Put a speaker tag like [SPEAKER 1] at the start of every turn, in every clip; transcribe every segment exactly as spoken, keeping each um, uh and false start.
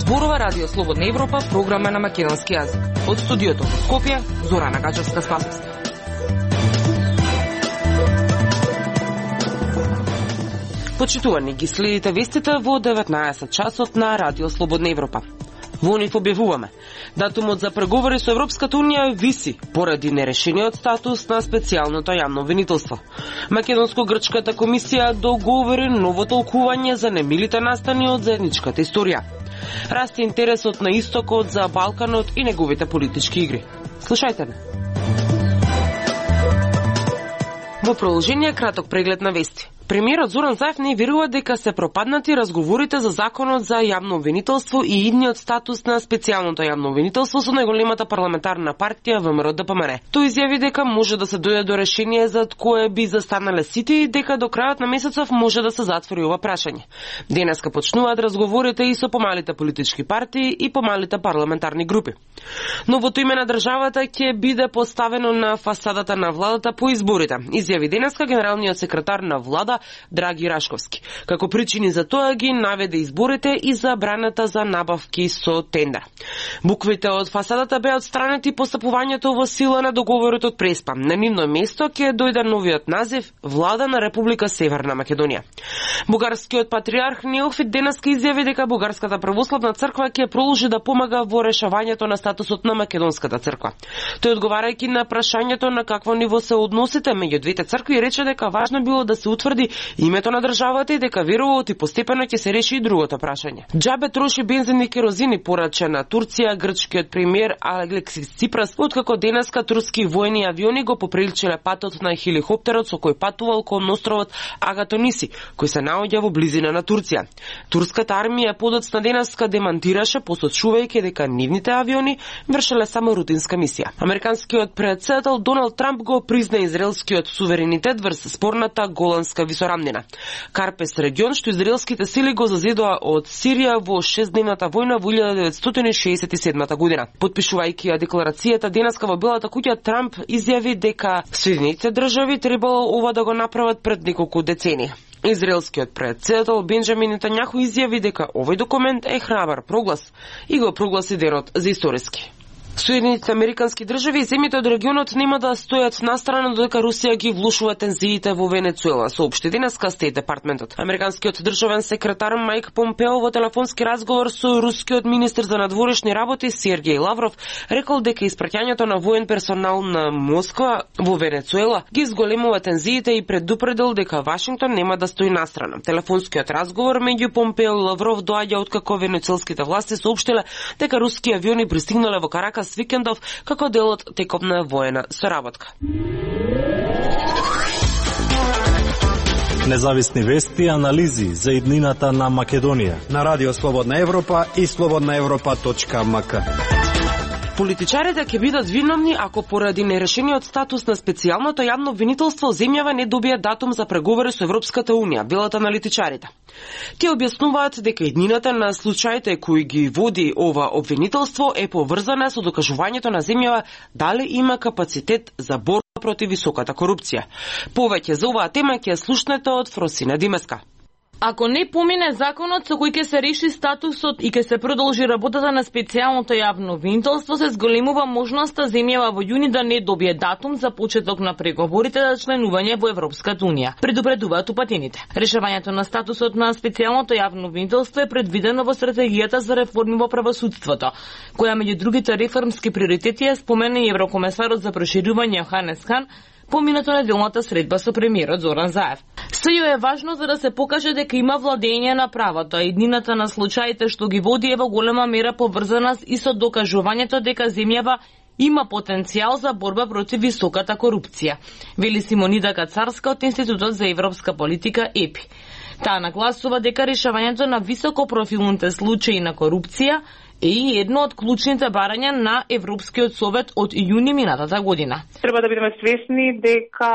[SPEAKER 1] Зборува Радио Слободна Европа, програма на македонски јазик. Од студиото во Скопје, Зорана Гачевска-Спасовска. Почитувани, ги следите вестите во деветнаесет часот на Радио Слободна Европа. Во нив објавуваме: датумот за преговори со Европската Унија виси поради нерешениот статус на специјалното јавно обвинителство. Македонско-грчката комисија договори ново толкување за немилите настани од заедничката историја. Расте интересот на истокот за Балканот и неговите политички игри. Слушајте ме. Во продолжение краток преглед на вести. Премиерот Зоран Заев не верува дека се пропаднати разговорите за законот за јавно обвинителство и идниот статус на специјалното јавно обвинителство со најголемата парламентарна партија ВМРО Д П М Р. Тој изјави дека може да се дојде до решение за кое би застанале сите и дека до крајот на месецов може да се затвори ова прашање. Денеска почнуваат разговорите и со помалите политички партии и помалите парламентарни групи. Новото име на државата ќе биде поставено на фасадата на владата по изборите, изјави денеска генералниот секретар на влада Драги Рашковски. Како причини за тоа ги наведе изборите и забраната за набавки со тендер. Буквите од фасадата беа отстранети по стапувањето во сила на договорот од Преспа. На нивно место ќе дојде новиот назив Влада на Република Северна Македонија. Бугарскиот патриарх Неофит денеска изјави дека Бугарската православна црква ќе продолжи да помага во решавањето на статусот на македонската црква. Тој одговарајќи на прашањето на какво ниво се односите меѓу двете цркви рече дека важно било да се утврди името на државата и дека верува и постепено ќе се реши и другото прашање. Џабе троши бензин и керозини, порача на Турција грчкиот премиер Алексис Ципрас, откако денеска турски воени авиони го поприличиле патот на хеликоптерот со кој патувал кон островот Агатониси, кој се наоѓа во близина на Турција. Турската армија подоцна денеска демантираше, посочувајќи дека нивните авиони вршеле само рутинска мисија. Американскиот претседател Доналд Трамп го призна израелскиот суверенитет врз спорната Голанска висорамнина. Карпес регион што израелските сили го зазидоа од Сирија во шестдневната војна во илјада деветстотини шеесет и седма година. Потпишувајќи ја декларацијата денеска во Белата куќа, Трамп изјави дека Соединетите држави требало ова да го направат пред неколку децении. Израелскиот претседател Бенџамин Нетањаху изјави дека овој документ е храбар проглас и го прогласи денот за историски. Соединетите американски држави и земјите од регионот нема да стојат настрана додека Русија ги влушува тензиите во Венецуела, соопшти денеска Стейт департментот. Американскиот државен секретар Майк Помпео во телефонски разговор со рускиот министер за надворешни работи Сергеј Лавров рекол дека испраќањето на воен персонал на Москва во Венецуела ги зголемува тензиите и предупредил дека Вашингтон нема да стои настрана. Телефонскиот разговор меѓу Помпео и Лавров доаѓа откако венецуелските власти соопштиле дека руски авиони пристигнале во Каракас с викендов како дел од текопна воена соработка.
[SPEAKER 2] Независни вести и анализи за иднината на Македонија
[SPEAKER 3] на Радио Слободна Европа и слободна европа точка ем ка.
[SPEAKER 1] Политичарите ќе бидат виновни ако поради нерешениот статус на специјалното јавно обвинителство земјава не добие датум за преговори со Европската Унија, велат аналитичарите. Тие објаснуваат дека иднината на случаите кои ги води ова обвинителство е поврзана со докажувањето на земјава дали има капацитет за борба против високата корупција. Повеќе за оваа тема ќе слушнете од Фросина Димеска.
[SPEAKER 4] Ако не помине законот со кој ќе се реши статусот и ќе се продолжи работата на специјалното јавно обвинителство, се зголемува можноста земјава во јуни да не добие датум за почеток на преговорите за членување во Европската Унија, предупредуваат упатените. Решавањето на статусот на специјалното јавно обвинителство е предвидено во стратегијата за реформи во правосудството, која меѓу другите реформски приоритети ја спомена и еврокомесарот за проширување Јоханес Хан поминато неделната средба со премиерот Зоран Заев. Сејо е важно за да се покаже дека има владење на правото, а иднината на случаите што ги води е во голема мера поврзана и со докажувањето дека земјава има потенцијал за борба против високата корупција, вели Симонида Кацарска од Институтот за европска политика ЕПИ. Таа нагласува дека решавањето на високопрофилните случаи на корупција е и едно од клучните барања на Европскиот совет од јуни минатата година.
[SPEAKER 5] Треба да бидеме свесни дека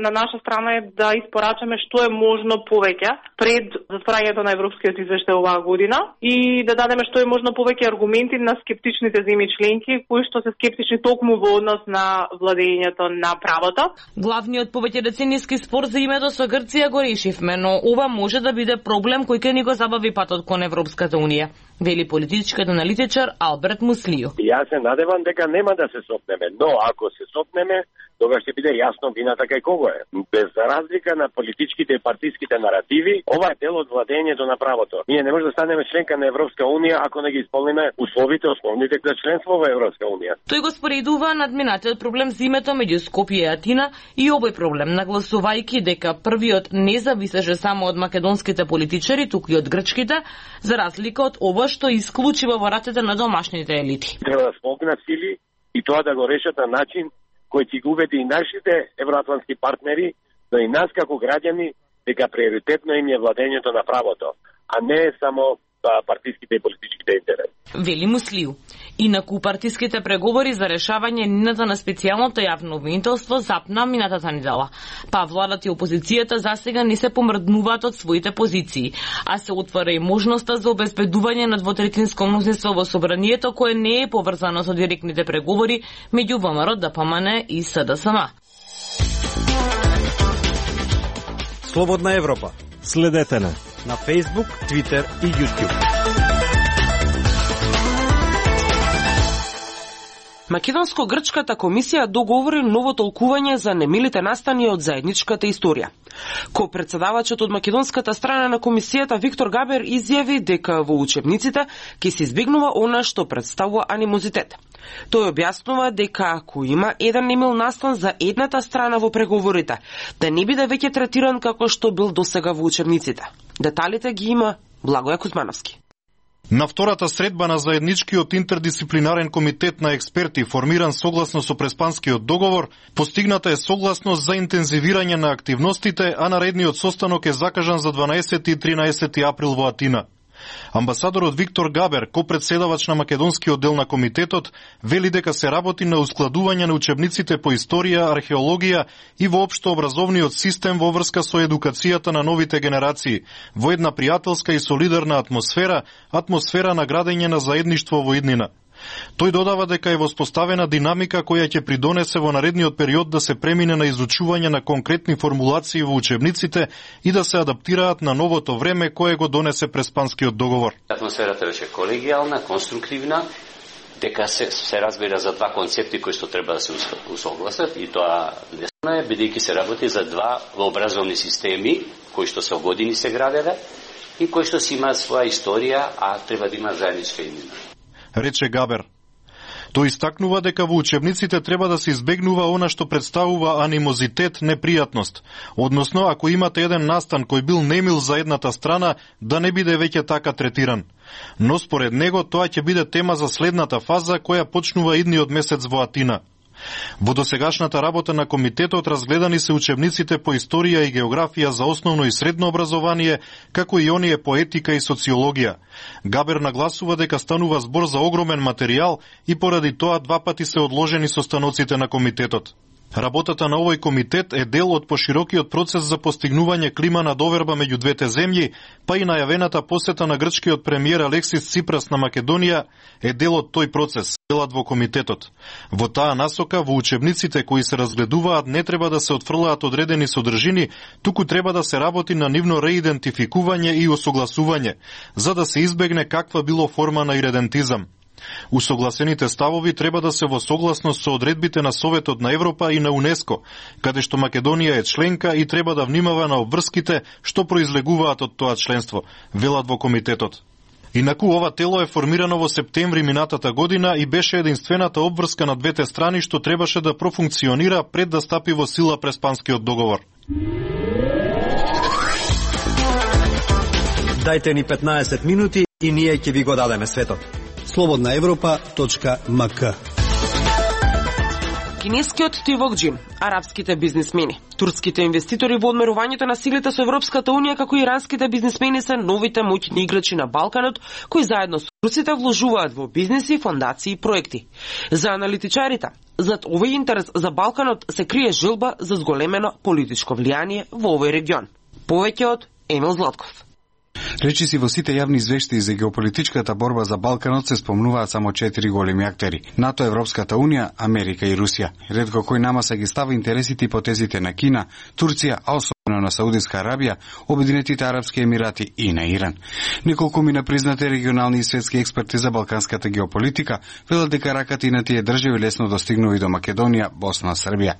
[SPEAKER 5] на наша страна е да испорачаме што е можно повеќе пред затворањето на Европскиот извештај оваа година и да дадеме што е можно повеќе аргументи на скептичните земји членки кои што се скептични токму во однос на владењето на правото.
[SPEAKER 4] Главниот повеќедецениски спор за името со Грција го решивме, но ова може да биде проблем кој ќе ни го забави патот кон Европската унија, вели политичкиот аналитичар Алберт Муслију.
[SPEAKER 6] Јас се надевам дека нема да се сопнеме, но ако се сопнеме, тогаш ќе биде јасно вината кај кого е. Без разлика на политичките и партиските наративи, ова е дел од владењето на правото. Ние не може да станеме членка на Европска унија ако не ги исполниме условите основните за членство во Европска унија.
[SPEAKER 4] Тој го споредува надминатиот проблем за името меѓу Скопје и Атина и овој проблем, нагласувајќи дека првиот не зависеше само од македонските политичари, туку и од грчките, за разлика од ова што исклучива во рацете на домашните елити.
[SPEAKER 6] Треба да смогнат сили и тоа да го решат на начин кој ќе го убеди и нашите евроатлантски партнери, но и нас како граѓани дека приоритетно им е владењето на правото, а не само партиските и политичките интереси.
[SPEAKER 4] Вели Муслију. Инаку партиските преговори за решавање нината на специјалното јавно обвинителство запна минатата недела. Па владата и опозицијата засега не се помрднуваат од своите позиции, а се отвора и можноста за обезбедување на двотретинско мнозинство во собранието кое не е поврзано со директните преговори меѓу ВМРО, ДПМН и СДСМ.
[SPEAKER 3] Слободна Европа.
[SPEAKER 2] Следете на
[SPEAKER 3] на Facebook, Twitter и YouTube.
[SPEAKER 1] Македонско-грчката комисија договори ново толкување за немилите настани од заедничката историја. Ко-председавачот од македонската страна на комисијата Виктор Габер изјави дека во учебниците ќе се избегнува она што представува анимозитет. Тој објаснува дека ако има еден немил настан за едната страна во преговорите, да не биде веќе третиран како што бил досега во учебниците. Деталите ги има Благоја Кузмановски.
[SPEAKER 7] На втората средба на заедничкиот интердисциплинарен комитет на експерти, формиран согласно со Преспанскиот договор, постигната е согласност за интензивирање на активностите, а наредниот состанок е закажан за дванаесети и тринаесети април во Атина. Амбасадорот Виктор Габер, ко-председавач на македонскиот дел на комитетот, вели дека се работи на ускладување на учебниците по историја, археологија и воопшто образовниот систем во врска со едукацијата на новите генерации, во една пријателска и солидарна атмосфера, атмосфера на градење на заедништво во иднина. Тој додава дека е воспоставена динамика која ќе придонесе во наредниот период да се премине на изучување на конкретни формулации во учебниците и да се адаптираат на новото време кое го донесе Преспанскиот договор.
[SPEAKER 8] Атмосферата беше колегијална, конструктивна, дека се, се разбира за два концепти кои што треба да се усогласат и тоа лесно е, бидејќи се работи за два образовни системи кои што со години се граделе и кои што си имаат своја историја, а треба да имаат заедничка иднина,
[SPEAKER 7] рече Габер. Тој истакнува дека во учебниците треба да се избегнува она што представува анимозитет, непријатност. Односно, ако имате еден настан кој бил немил за едната страна, да не биде веќе така третиран. Но според него тоа ќе биде тема за следната фаза која почнува идниот месец во Атина. Во досегашната работа на комитетот разгледани се учебниците по историја и географија за основно и средно образование, како и оние по етика и социологија. Габер нагласува дека станува збор за огромен материјал и поради тоа два пати се одложени состаноците на комитетот. Работата на овој комитет е дел од поширокиот процес за постигнување клима на доверба меѓу двете земји, па и најавената посета на грчкиот премиер Алексис Ципрас на Македонија е дел од тој процес, делат во комитетот. Во таа насока, во учебниците кои се разгледуваат не треба да се отфрлаат одредени содржини, туку треба да се работи на нивно реидентификување и осогласување, за да се избегне каква било форма на иредентизам. Усогласените ставови треба да се во согласност со одредбите на Советот на Европа и на УНЕСКО, каде што Македонија е членка и треба да внимава на обврските што произлегуваат од тоа членство, велат во комитетот. Инаку ова тело е формирано во септември минатата година и беше единствената обврска на двете страни што требаше да профункционира пред да стапи во сила Преспанскиот договор.
[SPEAKER 3] Дајте ни петнаесет минути и ние ќе ви го дадеме светот. слободна европа точка ем ка
[SPEAKER 1] Кинескиот тивокџи, арапските бизнисмени, турските инвеститори во одмерувањето на силите со Европската унија, како и иранските бизнисмени се новите моќни играчи на Балканот, кои заедно со турците вложуваат во бизниси, фондации и проекти. За аналитичарите, зад овој интерес за Балканот се крие желба за зголемено политичко влијание во овој регион. Повеќе од Емил Златков.
[SPEAKER 9] Речиси во сите јавни извештаи за геополитичката борба за Балканот се спомнуваат само четири големи актери: НАТО, Европската унија, Америка и Русија. Ретко кој намаса ги става интересите и потезите на Кина, Турција, а особено на Саудитска Арабија, Обединетите арапски емирати и на Иран. Неколку мина признати регионални и светски експерти за балканската геополитика велат дека раката и на тие држави лесно достигнува и до Македонија, Босна, Србија.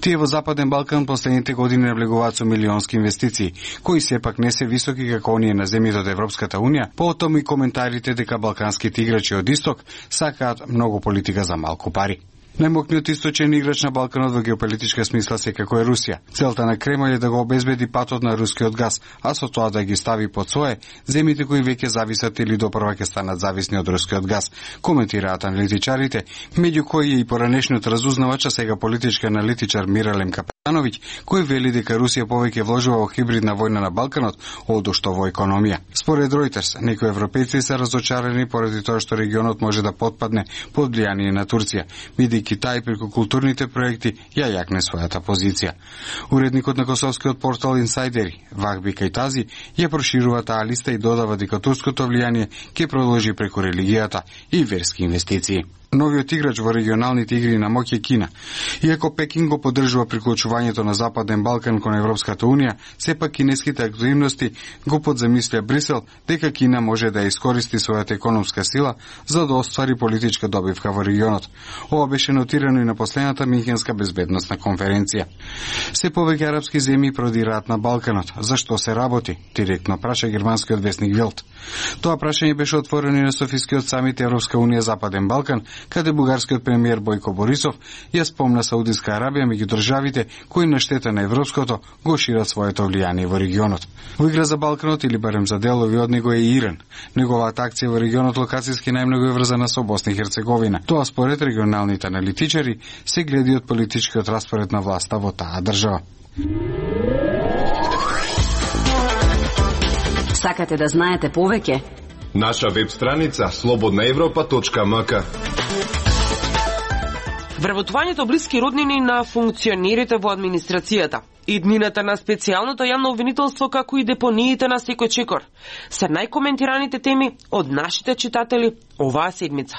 [SPEAKER 9] Тие во Западен Балкан последните години наблегуваат со милионски инвестиции, кои сепак не се високи како оние на земјите од Европската унија, потом и коментарите дека балканските играчи од исток сакаат многу политика за малку пари. Најмокниот источен играч на Балканот во геополитичка смисла секако е Русија. Целта на Кремљ е да го обезбеди патот на рускиот газ, а со тоа да ги стави под своје земјите кои веќе зависат или допрва ќе станат зависни од рускиот газ, коментираат аналитичарите, меѓу кои е и поранешниот разузнавач, а сега политички аналитичар Миралем Капетановиќ, кој вели дека Русија повеќе вложува во хибридна војна на Балканот одошто во економија. Според Reuters, некои европејци се разочарани поради тоа што регионот може да потпадне под влијание на Турција, бидејќи Китај преку културните проекти ја јакне својата позиција. Уредникот на косовскиот портал Инсайдери, Вахби Кајтази, ја проширува таа листа и додава дека турското влијание ќе продолжи преку религијата и верски инвестиции. Новиот играч во регионалните игри на моќ е Кина. Иако Пекин го поддржува приклучувањето на Западен Балкан кон Европската унија, сепак кинеските активности го подзамисля Брисел дека Кина може да искористи својата економска сила за да оствари политичка добивка во регионот. Ова беше нотирано и на последната Минхенска безбедносна конференција. Се повеќе арапски земји продираат на Балканот. Зашто се работи? Директно праша германскиот весник Велт. Тоа прашање беше отворено и на Софискиот самит Европска унија Западен Балкан, каде бугарскиот премиер Бојко Борисов ја спомна Саудитска Арабија меѓу државите кои на штета на европското го шират своето влијание во регионот. Во игра за Балканот или барем за делови од него е и Иран. Неговата акција во регионот локацијски најмногу е врзана со Босна и Херцеговина. Тоа според регионалните аналитичари се гледи од политичкиот распоред на власта во таа држава.
[SPEAKER 10] Сакате да знаете повеќе?
[SPEAKER 11] Наша веб страница слободна европа точка ем ка.
[SPEAKER 1] Вработувањето блиски роднини на функционерите во администрацијата, иднината на специјалното јавно обвинителство, како и депониите на секој чекор, се најкоментираните теми од нашите читатели оваа седмица.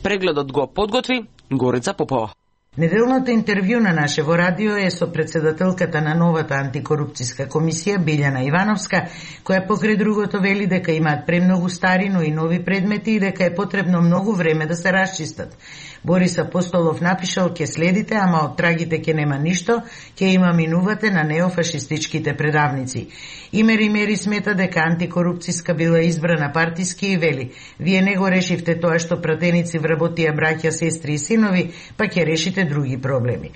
[SPEAKER 1] Прегледот го подготви Горица Попова.
[SPEAKER 12] Неделното интервју на наше во радио е со председателката на новата антикорупцијска комисија Билјана Ивановска, која покрај другото вели дека имаат премногу стари, но и нови предмети и дека е потребно многу време да се расчистат. Борис Апостолов напишал: "Ке следите, ама од трагите ке нема ништо, ке има минувате на неофашистичките предавници." Имери Мери смета дека антикорупцијска била избрана партиски и вели: "Вие не го решивте тоа што пратеници вработија браќа, сестри и синови, па ќе решите други проблеми."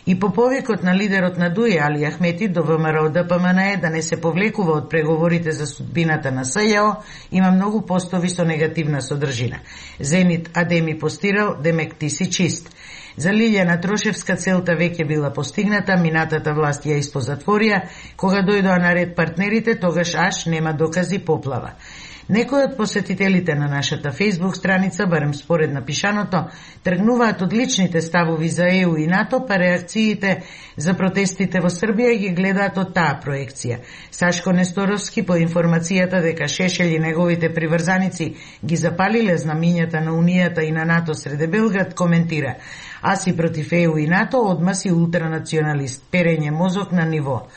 [SPEAKER 12] И по повикот на лидерот на ДУИ Али Ахмети до ВМРО Д П М Н Е да не се повлекува од преговорите за судбината на С Ј О, има многу постови со негативна содржина. Зенит Адеми постирал: "Демек ти си чист." За Лилјана Трошевска целта веќе била постигната, минатата власт ја испозатворија, кога дојдоа на ред партнерите, тогаш аш нема докази поплава. Некои од посетителите на нашата Facebook страница, барем според напишаното, тргнуваат од личните ставови за Е У и НАТО, па реакциите за протестите во Србија ги гледаат од таа проекција. Сашко Несторовски, по информацијата дека Шешел и неговите приврзаници ги запалиле знамињата на Унијата и на НАТО среде Белград, коментира: "А си против Е У и НАТО, одма си ултранационалист, перење мозок на ниво."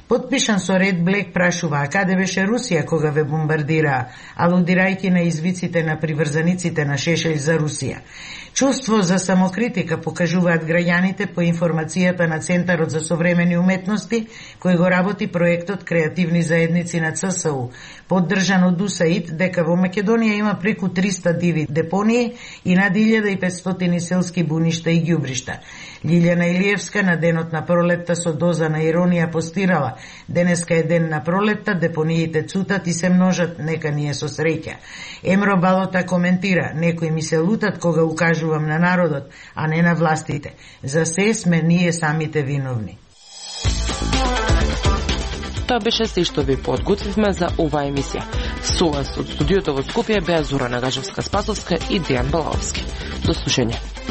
[SPEAKER 12] Подпишан со Ред Блек прашува: "А каде беше Русија кога ве бомбардираа?" алудирајќи на извиците на приврзаниците на Шешел за Русија. Чувство за самокритика покажуваат граѓаните по информацијата на Центарот за современи уметности, кој го работи проектот Креативни заедници на Ц С У, поддржан од У С А И Д, дека во Македонија има преку триста диви депонии и над илјада и петстотини селски буништа и ѓубришта. Лилјана Илиевска на денот на пролетта со доза на иронија постирала: Бала. Денеска е ден на пролетта, депониите цутат и се множат, нека ние со среќа. Емро Балота коментира, некои ми се лутат кога укажувам на народот, а не на властите. За се сме ние самите виновни.
[SPEAKER 1] Тоа беше се што ви подготвивме за оваа емисија. Со вас од студиото во Скопје беа Зора Нагажевска-Спасовска и Дејан Балаовски. До слушање.